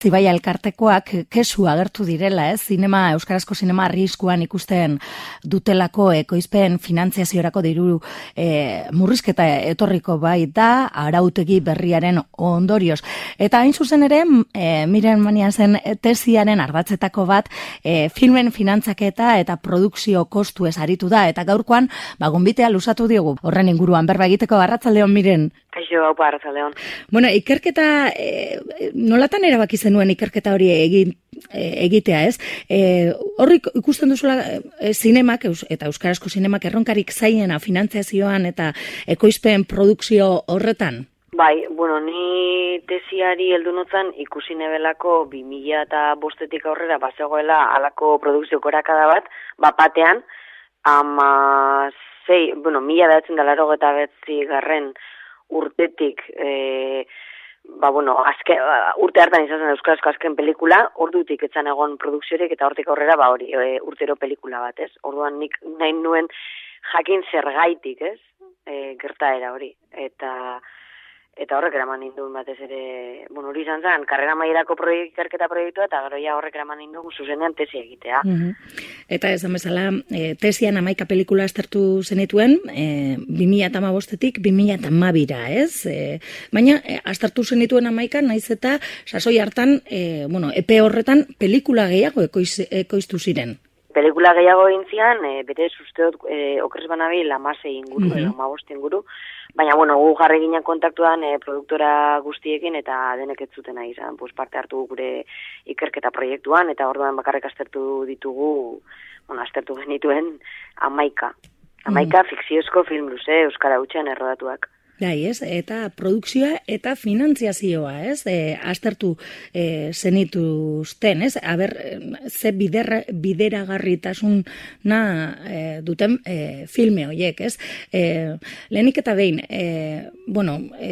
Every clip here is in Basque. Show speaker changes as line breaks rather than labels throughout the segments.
Zibai elkartekoak kesu agertu direla, euskarazko zinema arriskuan ikusten dutelako ekoizpen finantziaziorako diru murrizketa etorriko bai da arautegi berriaren ondorioz. Eta hain zuzen ere, Miren Maniasen tesiaren ardatzetako bat filmen finantzaketa eta produkzio kostuez aritu da, eta gaurkoan gonbitea luzatu diogu. Horren inguruan berba egiteko. Arratsaldeon, Miren.
Kaixo, haupa, arratsaldeon.
Bueno, ikerketa, nolatan erabaki zenuen ikerketa hori egitea, ez? Horrik ikusten duzula zinemak, eta euskarazko zinemak erronkarik zaiena finantziazioan eta ekoizpen produkzio horretan?
Bai, bueno, ni tesiari heldu notzan ikusi nebelako 2005-etik aurrera bazegoela halako produkzio korakada bat, batean, 1989 urtetik, urte hartan izan zen euskarazko azken pelikula, ordutik etzan egon produkziorik eta hortik aurrera, urtero pelikula bat, ez? Orduan nik nahi nuen jakin zergaitik, ez? Gertaera hori. Eta horrek eraman ninduen batez ere, hori izan zen, karrera maierako ikerketa proiektua, eta gero ja horrek eraman ninduen zuzenean tesi egitea.
Eta esan bezala, tesian 11 pelikula aztertu zenituen, 2015-etik 2012-ra, ez? Baina, aztertu zenituen 11, naiz eta sasoi hartan, epe horretan pelikula gehiago ekoiztu ziren.
Pelikula gehiago egin bere usteot okrez banabil 16 inguru, 15 inguru, baina, gu jarri ginen kontaktuan produktora guztiekin eta denek ez zuten nahi izan, parte hartu gure ikerketa proiektuan, eta orduan bakarrik aztertu genituen 11. 11 fikziozko film luze, euskara hutsean errodatuak.
Bai, ez? Eta produkzioa eta finantziazioa, ez? Aztertu zenituzten, ez? Aber, ze bideragarritasuna duten filme horiek, ez? Lehenik eta behin,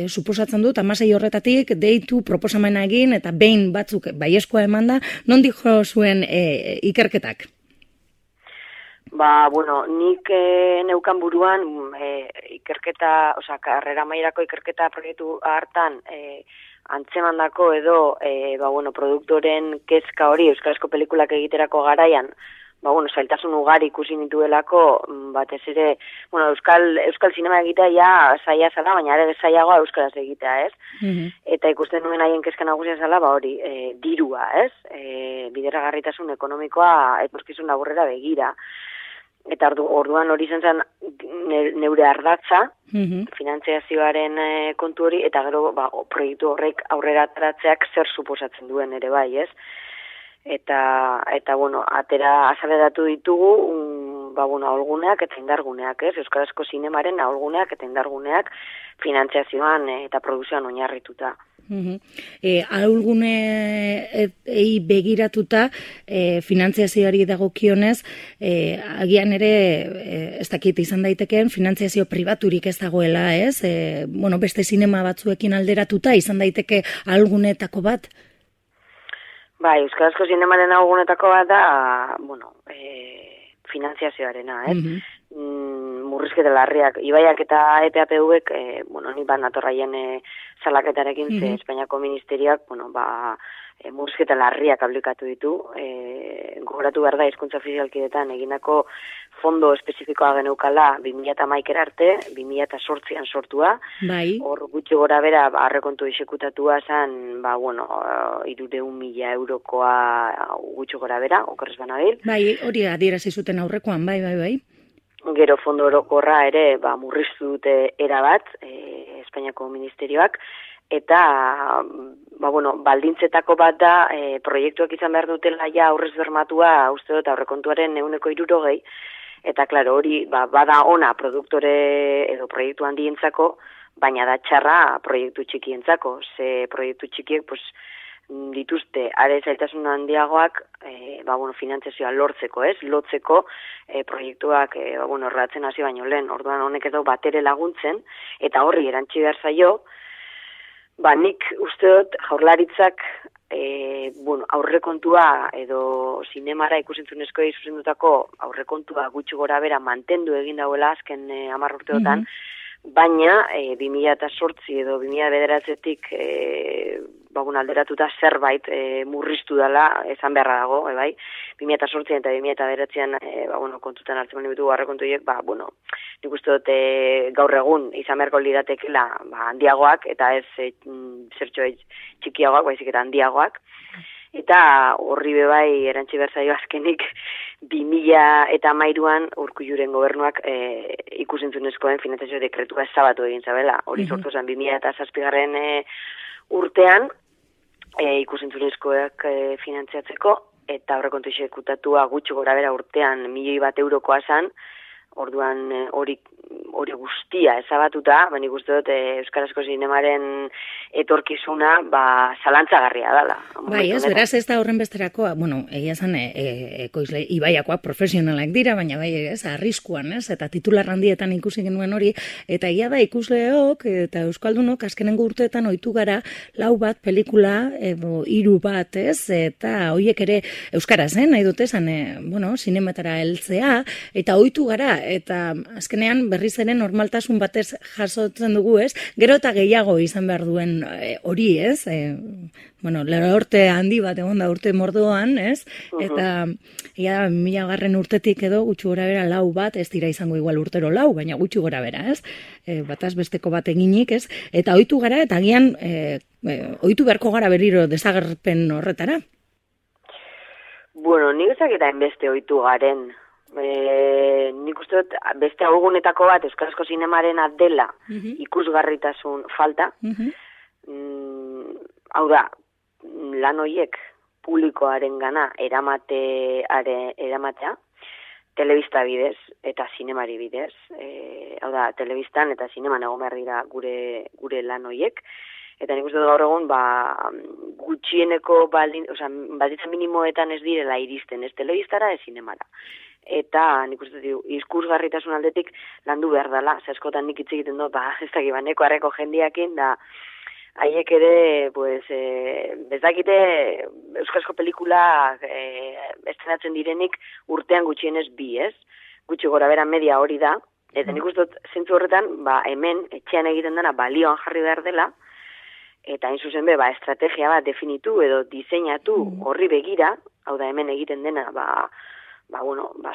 suposatzen dut, 16 horretatik deitu proposamena egin eta behin batzuk baiezkoa emanda, non dijo zuen ikerketak?
Nik neukan buruan ikerketa, karrera mailako ikerketa proiektu hartan antzemandako edo produktoren kezka hori euskarazko pelikulak egiterako garaian, zailtasun ugari ikusi nituelako, batez ere, euskal zinema egitea ja zaila zala, baina ere zailagoa euskaraz egitea, ez? Eta ikusten nuen haien kezka nagusia zala, dirua, ez? Bideragarritasun ekonomikoa etorkizun laburrera begira. Eta orduan hori zen neure ardatza, finantziazioaren kontu hori, eta gero proiektu horrek aurrera ataratzeak zer suposatzen duen ere bai, ez? Eta atera azaleratu ditugu, aholguneak eta indarguneak, ez? Euskarazko zinemaren aholguneak eta indarguneak finantziazioan eta produkzioan oinarrituta.
Aholgunei begiratuta finantziazioari dagokionez, agian ere ez dakit izan daitekeen finantziazio pribaturik ez dagoela, ez? Beste zinema batzuekin alderatuta izan daiteke aholgunetako bat?
Bai, euskarazko zinemaren aholgunetako bat da, finantziazioarena, ez? Murrizketa larriak, Ibaiak eta EPAPV-ek, ni bat natorraien salaketarekin, ze Espainiako ministerioak, murrizketa larriak aplikatu ditu, gogoratu behar da hizkuntza ofizialkidetan egindako fondo espezifikoa geneukala 2011 arte, 2008an sortua, hor gutxi gora bera aurrekontu exekutatua zen, 300.000 eurokoa gutxi gora bera, okerrez banabil.
Bai, hori adierazi zuten aurrekoan, bai.
Gero fondo orokorra ere murriztu dute erabat, Espainiako ministerioak, eta baldintzetako bat da proiektuak izan behar dutela ja aurrez bermatua, uste dut aurrekontuaren 160, eta klaro hori bada ona produktore edo proiektu handientzako, baina da txarra proiektu txikientzako, ze proiektu txikiek dituzte are zailtasun handiagoak finantziazioa lortzeko, ez? Lotzeko proiektuak erratzen hasi baino lehen, orduan honek edo batere laguntzen, eta horri erantsi behar zaio, nik uste dut jaurlaritzak aurrekontua edo zinemara ikusentzunezkoei zuzendutako aurrekontua gutxi gora bera mantendu egin dauela azken 10 urteotan, baina 2008 edo 2009-etik alderatuta zerbait murriztu dela, esan beharra dago, bai, 2008 eta 2009 kontutan hartzen bali bitu aurrekontuiek, nik uste dut gaur egun izan beharko liratekela handiagoak, eta ez zertxo txikiagoak, baizik eta handiagoak. Eta horri bebai erantzi berzaio azkenik 2013an Urkulluren gobernuak ikusentzunezkoen finantzazio dekretua ezabatu egin zabela. Hori sortu zen 2007 urtean ikusentzunezkoak finantziatzeko, eta aurrekontu exekutatua gutxi gorabehera urtean 1.000.000 eurokoa zen. Orduan hori guztia ezabatuta, nik uste dut euskarazko zinemaren etorkizuna zalantzagarria dela.
Bai, ez, beraz ez da horren besterakoa, egia zen ekoizle ibaiakoak profesionalak dira, baina bai, ez, arriskuan, ez, eta titular handietan ikusi genuen hori, eta egia da ikusleok eta euskaldunok azkenengo urteetan ohitu gara 4 bat pelikula edo 3 bat, ez, eta horiek ere euskaraz, nahi dut esan, zinematara heltzea, eta ohitu gara, eta azkenean berriz ere normaltasun batez jasotzen dugu, ez? Gero eta gehiago izan behar duen hori, ez? Urte handi bat egon da urte mordoan, ez? Eta 1000. Urtetik edo gutxi gora bera 4 bat, ez dira izango igual urtero 4, baina gutxi gora bera, ez? Bataz besteko bat eginik, ez? Eta ohitu gara, eta agian ohitu beharko gara berriro desagerpen horretara?
Nik ezaketa enbeste ohitu garen. Nik uste dut beste agugunetako bat euskarazko zinemaren dela ikusgarritasun falta. Hau da, lan horiek publikoaren gana eramatea, telebista bidez eta zinemari bidez. Hau da, telebistan eta zineman egon behar dira gure lan horiek. Eta nik uste dut gaur egun, gutxieneko baldintza minimoetan ez direla iristen, ez telebistara, ez zinemara. Eta nik uste dut, ikusgarritasun aldetik landu behar dela, askotan nik hitz egiten dut, ez dakit, neko harreko jendiakin, da haiek ere, ez dakite euskarazko pelikula estrenatzen direnik urtean gutxienez 2, ez? Gutxi gora bera media hori da, eta nik uste dut zentzu horretan, hemen etxean egiten dena balioan jarri behar dela, eta hain zuzen estrategia bat definitu edo diseinatu horri begira, hau da hemen egiten dena,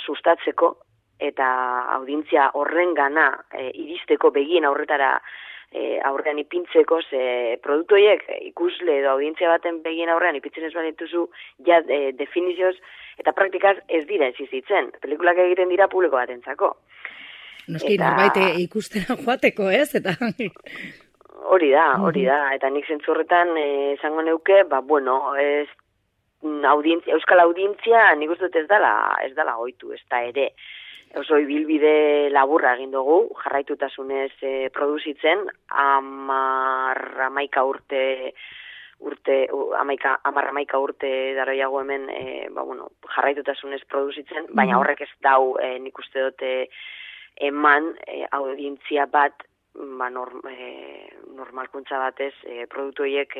sustatzeko eta audientzia horren gana iristeko begien aurretara aurrean ipintzeko, ze produktoiek ikusle edo audientzia baten begien aurrean ipintzen ez badituzu, definizioz eta praktikaz ez dira existitzen. Pelikulak egiten dira publiko batentzako.
Noski, norbait ikustera joateko, ez? Eta
hori da, eta nik zentzu horretan esango neuke, euskal audientzia nik uste dut ez dala ohitu, ez da ere. Oso ibilbide laburra egin dugu, jarraitutasunez produzitzen, 11 urte daroiago hemen jarraitutasunez produzitzen, baina horrek ez dau nik uste dut eman audientzia bat normalkuntza batez produktu horiek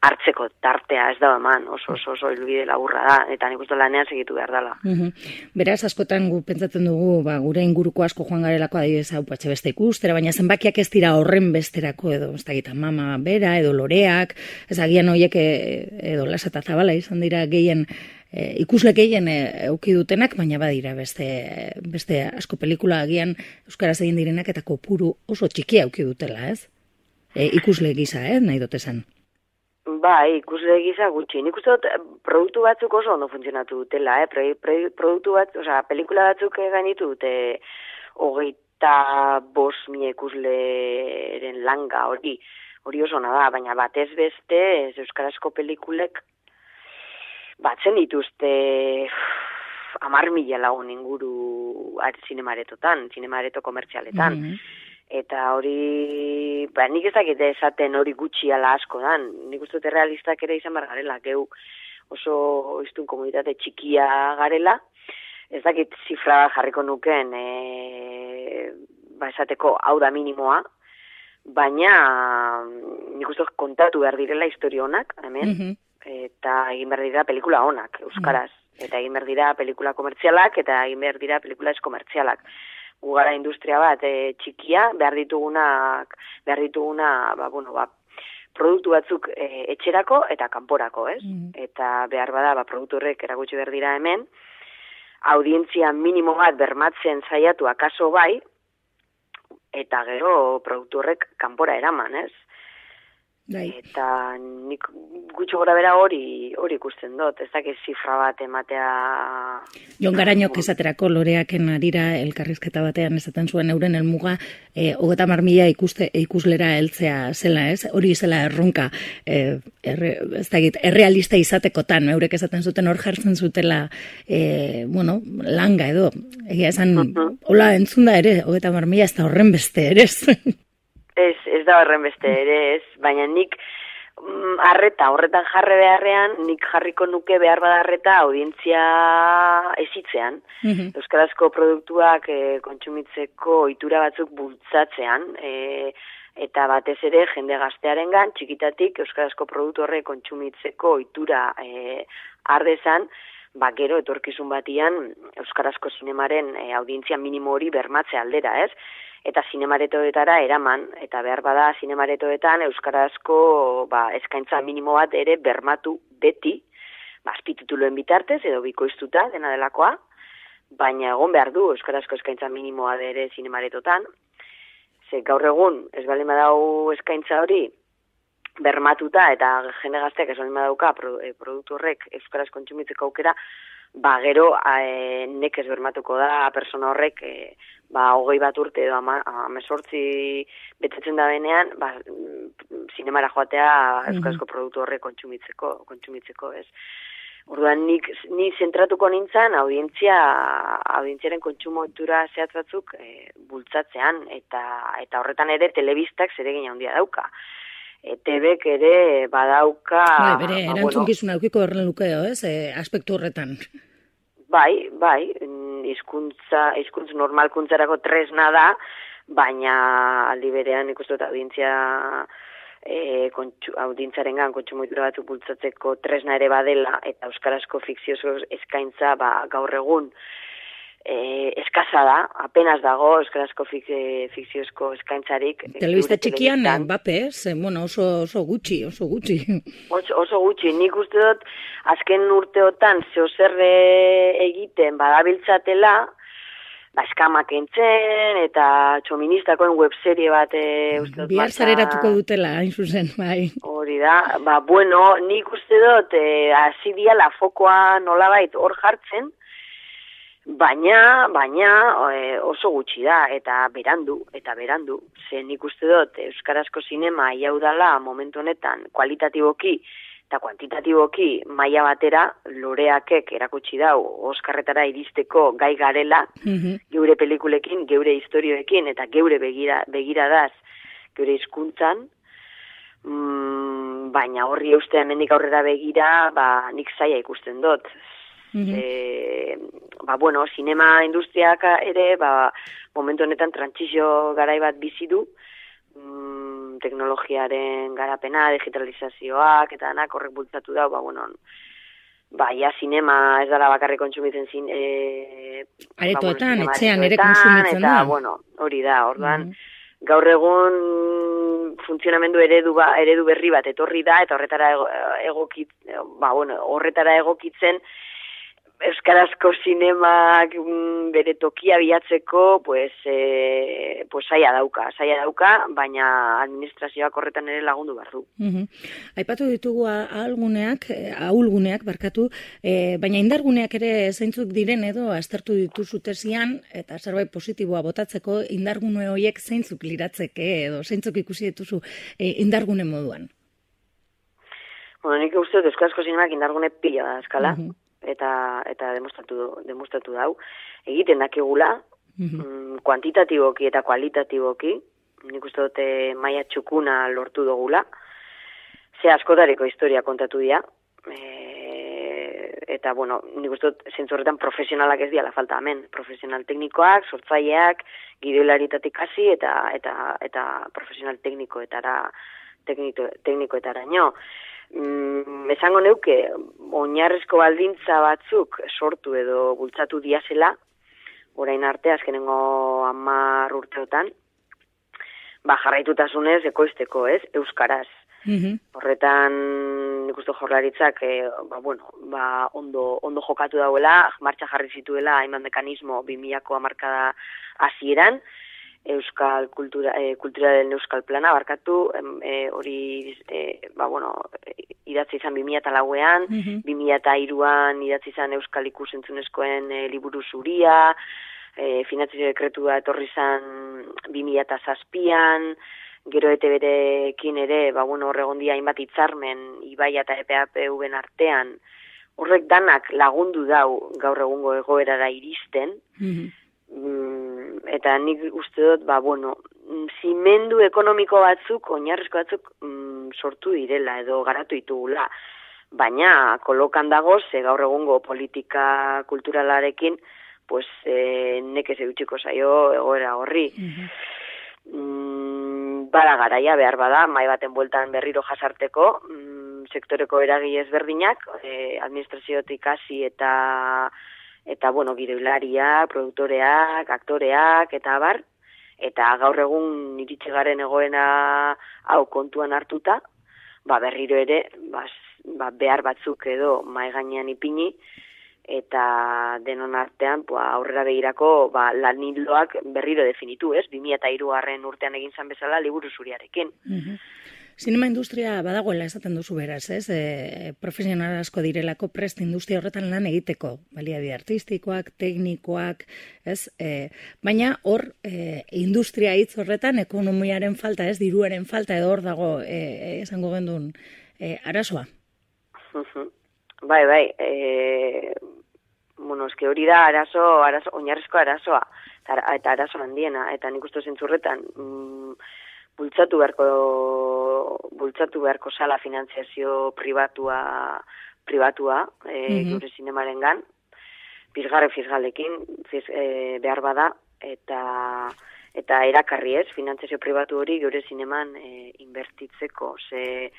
hartzeko tartea ez da eman, oso helbide laburra da, eta nik uste lanean segitu behar dela.
Beraz, askotan gu pentsatzen dugu, gure inguruko asko joan garelako adibidez hau beste ikustera, baina zenbakiak ez dira horren besterako edo, ez da Mama Bera edo Loreak, ez agian horiek edo Lasa eta Zabala izan dira gehien ikusle gehien euki dutenak, baina badira beste asko pelikula agian euskaraz egin direnak eta kopuru oso txikia euki dutela, ez? Ikusle gisa, nahi dut esan.
Bai, ikusle gisa gutxi. Nik uste dut produktu batzuk oso ondo funtzionatu dutela, produktu bat, pelikula batzuk gainitu dute 25.000 ikusleren langa hori oso ona da, baina batez beste euskarazko pelikulek batzen dituzte 10.000 lagun inguru zinemaretotan, zinemareto komertzialetan. Eta hori, nik ez dakit esaten hori gutxi ala asko dan. Nik uste dut realistak ere izan behar garela, geu oso iztun komunitate txikia garela. Ez dakit zifra jarriko nuken, esateko hau da minimoa, baina nik uste dut kontatu behar direla historia honak, hemen, eta egin behar dira pelikula honak, euskaraz. Eta egin behar dira pelikula komertzialak, eta egin behar dira pelikula ez komertzialak. Gugara industria bat txikia, behar dituguna produktu batzuk etxerako eta kanporako, ez? Eta behar bada, produktu horrek erakutsi behar dira hemen, audientzia minimo bat bermatzen saiatu akaso bai, eta gero produktu horrek kanpora eraman, ez? Eta nik gutxo gora bera hori ikusten dut, ez dakit zifra bat ematea...
Jon Garañok esaterako Loreaken arira elkarrizketa batean esaten zuen euren helmuga 30.000 ikuslera heltzea zela, ez? Hori zela erronka, ez dakit, errealista izatekotan, eurek esaten zuten hor jartzen zutela, langa edo, egia esan, hola entzunda ere, 30.000 ez da horren beste ere,
Ez da horren beste ere, ez, baina nik horretan jarre beharrean, nik jarriko nuke behar badarreta audientzia ezitzean. Euskarazko produktuak kontsumitzeko ohitura batzuk bultzatzean, eta batez ere jende gaztearengan txikitatik euskarazko produktu horre kontsumitzeko ohitura ardezan, gero etorkizun batian euskarazko zinemaren audientzia minimo hori bermatze aldera, ez? Eta zinemaretoetara eraman, eta behar bada zinemaretoetan euskarazko eskaintza minimo bat ere bermatu beti, azpitituluen bitartez edo bikoiztuta dena delakoa, baina egon behar du euskarazko eskaintza minimoa ere zinemaretotan, ze gaur egun ez baldin badau eskaintza hori bermatuta eta jende gazteak ez baldin badauka produktu horrek euskaraz kontsumitzeko aukera, gero nekez bermatuko da persona horrek 21 urte edo 18 betetzen da benean, zinemara joatea euskarazko produktu horrek kontsumitzeko, ez. Orduan ni zentratuko nintzen audientziaren kontsumo ohitura zehatz batzuk bultzatzean, eta horretan ere telebistak zeregin handia dauka. ETBek ere badauka...
Bere, erantzukizuna aukiko horren lukeo, ez, aspektu horretan.
Bai, hizkuntz normalkuntzarako tresna da, baina aldi berean ikustu eta audientziarengan kontsumoitura batzuk bultzatzeko tresna ere badela, eta euskarazko fikziozko eskaintza gaur egun eskasa da, apenas dago euskarazko fikziozko eskaintzarik.
Telebista txikian, oso gutxi.
Oso gutxi, nik uste dut, azken urteotan zeozer egiten badabiltzatela, eskamak entzen, eta txoministakoen webserie bat uste dut.
Bihar zareratuko dutela, hain zuzen, bai.
Hori da, nik uste dut, hasi diala fokoa nolabait hor jartzen, baina oso gutxi da, eta berandu, ze nik uste dut euskarazko zinema iau dala momentu honetan kualitatiboki eta kuantitatiboki maila batera Loreakek erakutsi dau Oskarretara iristeko gai garela, geure pelikulekin, geure historioekin eta geure begiradaz, geure hizkuntzan, baina horri ustea hemendik aurrera begira, nik zaila ikusten dut. Sinema industriak ere, momentu honetan trantsizio garai bat bizi du, teknologiaren garapena, digitalizazioak, eta danak horrek bultzatu da, sinema ez dara bakarrik kontsumitzen
aretoetan, etxean ere kontsumitzen da.
Eta, hori da, orduan, gaur egun funtzionamendu eredu berri bat etorri da, eta horretara egokitzen, euskarazko zinemak bere tokia bilatzeko, saia dauka, baina administrazioak horretan ere lagundu behar du.
Aipatu ditugu ahulguneak, baina indarguneak ere zeintzuk diren edo aztertu dituzu tesian, eta zerbait positiboa botatzeko indargune horiek zeintzuk liratzeke edo zeintzuk ikusi dituzu indargune moduan?
Nik uste dut euskarazko zinemak indargune pila da eskala. Eta demostratu dau. Egiten dakigula, kuantitatiboki eta kualitatiboki, nik uste dute maila txukuna lortu dugula, ze askotariko historia kontatu dira, eta, nik uste dut zentzu horretan profesionalak ez diala falta hemen, profesional teknikoak, sortzaileak, gidoilaritatik hasi eta profesional teknikoetara nio. Esango neuke, oinarrizko baldintza batzuk sortu edo bultzatu diazela, orain arte, azkenengo 10 urteotan, jarraitutasunez ekoizteko, ez, euskaraz. Horretan, nik uste Jaurlaritzak, ondo jokatu dauela, martxa jarri zituela, hainbat mekanismo 2000ko hamarkada hasieran, Euskal kulturaren Euskal Plana, barkatu, hori, idatzi izan 2004an, 2003an idatzi izan Euskal Ikus-entzunezkoen liburu zuria, finantzazio dekretua etorri izan 2007an, gero ETB-rekin ere, horregondia hainbat hitzarmen, Ibaia eta EPAPV-en artean, horrek danak lagundu dau gaur egungo egoerara iristen, eta nik uste dut, zimendu ekonomiko batzuk, oinarrizko batzuk sortu direla edo garatu ditugula. Baina kolokan dago, ze gaur egungo politika kulturalarekin, nekez eutxiko zaio egoera horri. Bada garaia behar bada, mai baten bueltan berriro jasarteko, sektoreko eragile ezberdinak, administraziotik hasi eta gidoilariak, produktoreak, aktoreak, eta abar, eta gaur egun iritsi garen egoena hau kontuan hartuta, berriro ere, behar batzuk edo mai gainean ipini, eta denon artean aurrera begirako lan ildoak berriro definitu, 2003 urtean egin zan bezala liburu zuriarekin.
Zinema industria badagoela esaten duzu beraz, ez? Profesional asko direlako prest industria horretan lan egiteko, baliabide artistikoak, teknikoak, ez? Baina hor industria hitz horretan ekonomiaren falta, ez? Diruaren falta edo hor dago esango gendun arazoa.
Bai, eske hori da arazo, oinarrizko arazoa, eta arazo handiena, eta nik uste zentzurretan, bultzatu beharko sala finantziazio pribatua gure zinemarengan, fisgalekin behar bada, eta erakarri ez, finantziazio pribatu hori gure zineman inbertitzeko, ze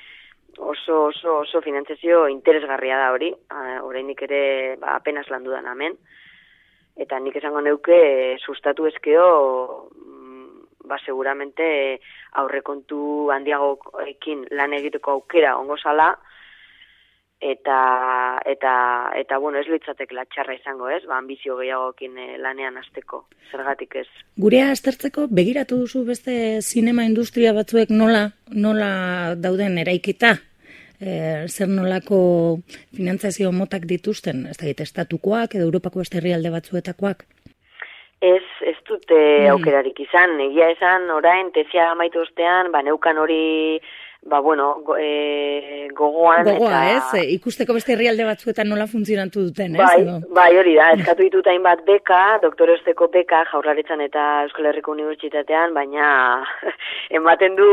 oso finantziazio interesgarria da hori, orainik ere apenas landu dan hemen, eta nik esango neuke sustatu ezkeo, seguramente aurrekontu handiagoekin lan egiteko aukera ongo zala, eta ez litzatek latxarra izango, ez? Ambizio gehiagoekin lanean hasteko, zergatik ez.
Gurea aztertzeko begiratu duzu beste zinema industria batzuek nola dauden eraikita? Zer nolako finantzazio motak dituzten? Ez da estatukoak edo Europako beste herrialde batzuetakoak?
Ez dute aukerarik izan, egia esan orain tesia amaitu ostean, neukan hori gogoan.
Gogoa, ez? Ikusteko beste herrialde batzuetan nola funtzionatu duten, ez?
Bai, hori da, eskatu ditut hainbat beka, doktoresteko beka, Jaurlaritzan eta Euskal Herriko Unibertsitatean, baina ematen du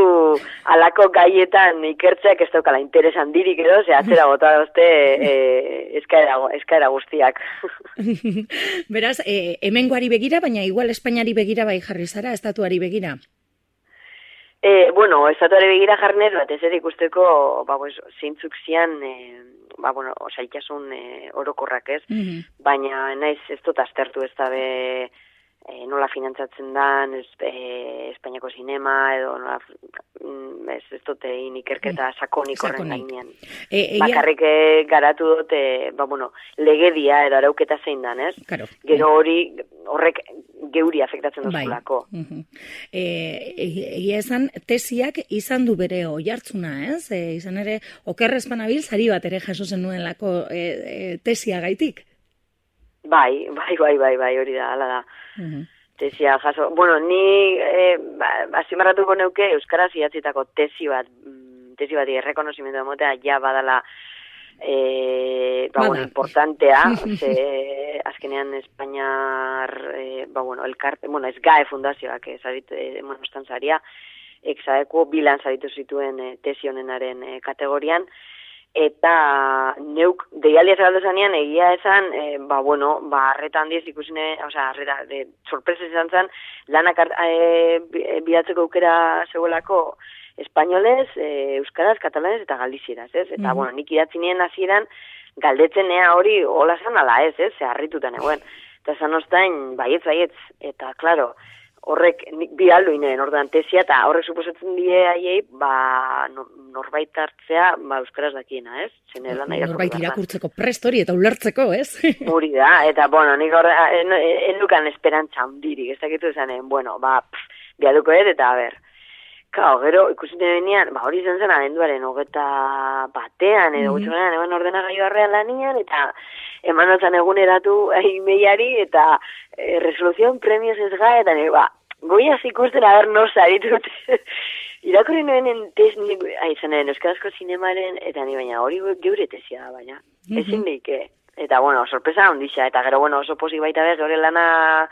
halako gaietan ikertzeak ez daukala interes handirik edo, atzera bota dozte eskaera guztiak.
Beraz, hemengoari begira, baina igual Espainiari begira bai jarri zara, estatuari begira?
Estatuari begira jarnez, batez ere ikusteko, zeintzuk zian, zaitasun orokorrak ez, baina naiz ez dut aztertu ez dabe nola finantzatzen dan, Espainiako zinema, edo ez dut ikerketa sakonik horren gainean. Bakarrik garatu dut, legedia edo arauketa zein dan, ez? Gero horrek geuri afektatzen duzulako.
Egia esan, tesiak izan du bere oihartzuna, ez? Izan ere, okerrezpanabil sari bat ere jaso zenuelako tesia gaitik.
Bai, hori da, hala da. Tesia jaso. Ni azimarratuko neuke euskaraz idatzitako tesi bat errekonozimendu emotea ja badala importantea, azkenean Espainiar elkarte, SGAE fundazioak estan zaria, exadeko bilan zaritu zituen tesi honenaren kategorian, eta neuk deialdia zagaldu zanean egia esan, arreta handiez ikusine, sorpresa izan zen, lanak bidatzeko aukera zegoelako espainolez, euskaraz, katalanez eta galizieraz, ez? Eta, nik idatzi nien hasieran galdetzen ea hori hola zan ala ez, ze harritutan egoen. Eta zan ostain, baietz, eta, klaro, horrek bi alduinen, orduan tesia, eta horrek suposatzen die haiei, norbait hartzea, euskaraz dakiena, ez?
Norbait irakurtzeko prest hori eta ulertzeko, ez?
Hori da, eta, nik endukan esperantza hundirik, ez dakitu esanen, biaduko eta, gero, ikusiten benean, hori izan zen abenduaren 21 edo gutxonean, eban ordenagailu arrean lanian, eta eman notzan eguneratu imeiari, eta resoluzion premios ez ga, eta goiaz ikusten aber nosa ditut. Irakurri noenen tesnik, izanen euskarazko zinemaren, eta baina hori geure tesia da, baina. Ezin deike. Eta, sorpresa ondisa, eta gero, oso posi baita bez, gure lana,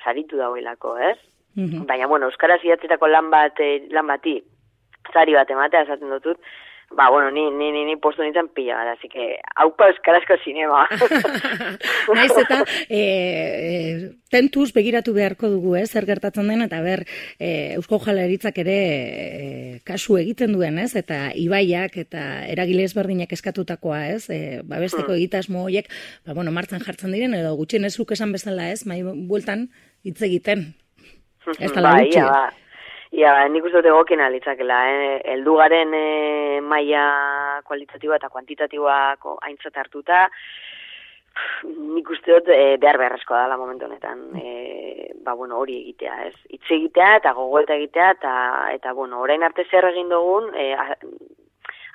saritu dauelako, ez? Baina, euskaraz idatzetako lan bati, zari bat ematea esaten dutut, ni postu nintzen pila gara, así que, haupa euskarazko zinema.
Naiz eta, tentuz begiratu beharko dugu, zer gertatzen den, eta Eusko Jaurlaritzak ere kasu egiten duen, eta ibaiak eta eragile ezberdinak eskatutakoa, babesteko egitasmo horiek, martxan jartzen diren, edo gutxien ez luk esan bezala, mai bueltan hitz egiten. Ez da gutxi.
Nik uste dut egokien alitzakela, heldugaren maila kualitatiboa eta kuantitatiboa aintzat hartuta, nik uste dut beharrezkoa dela momentu honetan, hori egitea, ez? Hitz egitea eta gogoeta egitea, eta orain arte zer egin dugun,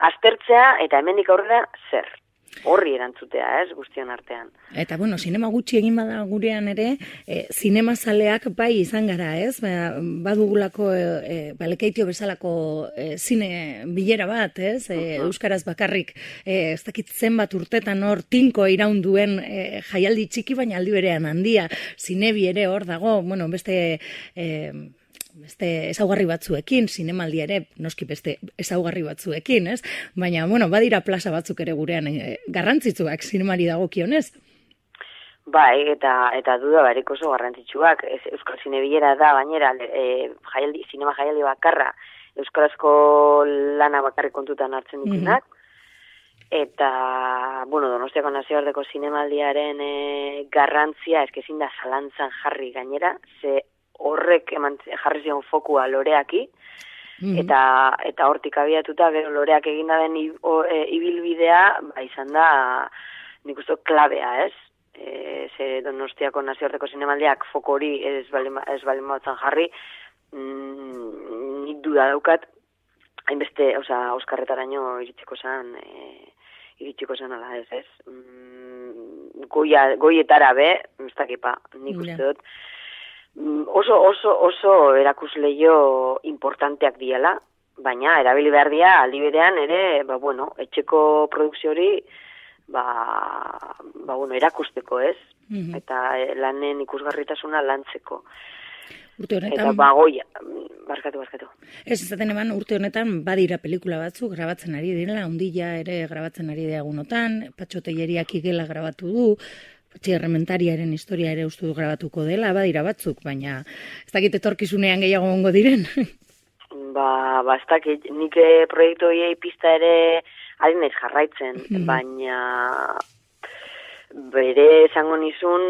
aztertzea eta hemendik aurrera zer. Horri erantzutea, guztion artean.
Eta, sinema gutxi egin bada gurean ere, zinemazaleak bai izan gara, badugulako Lekeitio bezalako zine bilera bat, euskaraz bakarrik, ez dakit zenbat urtetan hor tinko iraun duen jaialdi txiki, baina aldi berean handia, zinebi ere hor dago, beste ezaugarri batzuekin, zinemaldi ere, noski beste ezaugarri batzuekin, Baina, badira plaza batzuk ere gurean garrantzitsuak zinemari dagokionez.
Bai, eta duda barik oso garrantzitsuak. Euskal Zinebilera da, bainera, zinema jaialdi bakarra, euskarazko lana bakarrik kontutan hartzen ditunak. Eta, Donostiako nazioarteko zinemaldiaren garrantzia, ezkezin da zalantzan jarri gainera, ze horrek jarri zion fokua loreaki, eta hortik abiatuta, gero loreak eginda den ibilbidea, izan da, nik uste klabea, ze Donostiako nazioarteko zinemaldiak foko hori ez balen batzan jarri, nik duda daukat, hainbeste, Oskarretaraino iritsiko zan ala ez. Goietara ez dakipa, nik uste dut, oso erakusleio importanteak diela, baina erabili behar dira aldi berean ere, etxeko produkzio hori, erakusteko, eta lanen ikusgarritasuna lantzeko.
Urte honetan...
Eta goia, barkatu.
Ez ezaten eman urte honetan badira pelikula batzuk grabatzen ari direla, Ondilla ere grabatzen ari diagunotan, Patxo Telleriak Igela grabatu du, Errementariaren historia ere uste du grabatuko dela, badira batzuk, baina ez dakit etorkizunean gehiago gongo diren.
Ez dakit, nik proiektu hiei pista ere ari naiz jarraitzen, baina bere esango nizun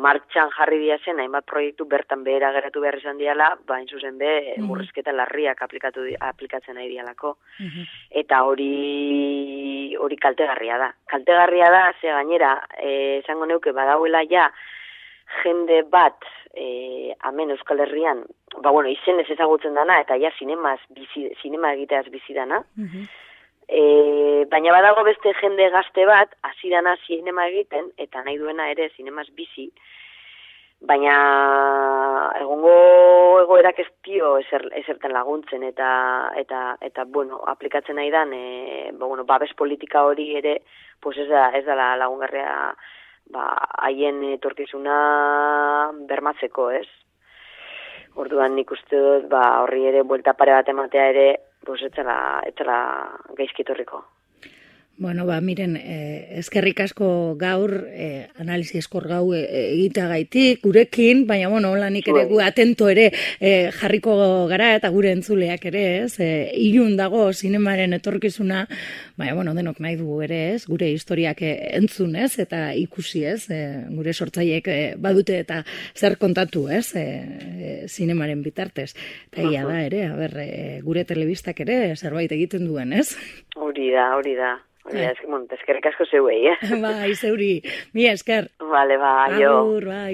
martxan jarri diazen, hainbat proiektu bertan behera geratu behar izan diala, bain zuzen murrizketa larriak aplikatzen nahi dialako. Eta hori kaltegarria da. Kaltegarria da, ze gainera, esango neuke badauela ja, jende bat, hemen Euskal Herrian, izenez ezagutzen dana, eta ja sinema egiteaz bizi dana, baina badago beste jende gazte bat, hasi dana sinema egiten, eta nahi duena ere sinemaz bizi, baina egongo egoerak ez dio ezerten laguntzen, eta aplikatzen nahi dan, babes politika hori ere, ez da lagungarria haien etorkizuna bermatzeko, Orduan nik uste dut, horri ere buelta pare bat ematea ere, ez zela gaizki etorriko.
Bueno, miren, eskerrik asko gaur, analisi eskor gau egiteagaitik, gurekin, baina, bueno, lanik ere gu atento ere jarriko gara eta gure entzuleak ere, ez? Ilun dago zinemaren etorkizuna, baina, bueno, denok nahi dugu ere, ez? Gure historiak entzun, ez? Eta ikusi, ez? Gure sortzaileek badute eta zer kontatu, ez? Zinemaren bitartez. Eta ia da ere, gure telebistak ere zerbait egiten duen, ez?
Hori da. Eskerrik asko zeuei,
Bai, zeuri. Mi esker.
Vale, jo.
Agur, bai.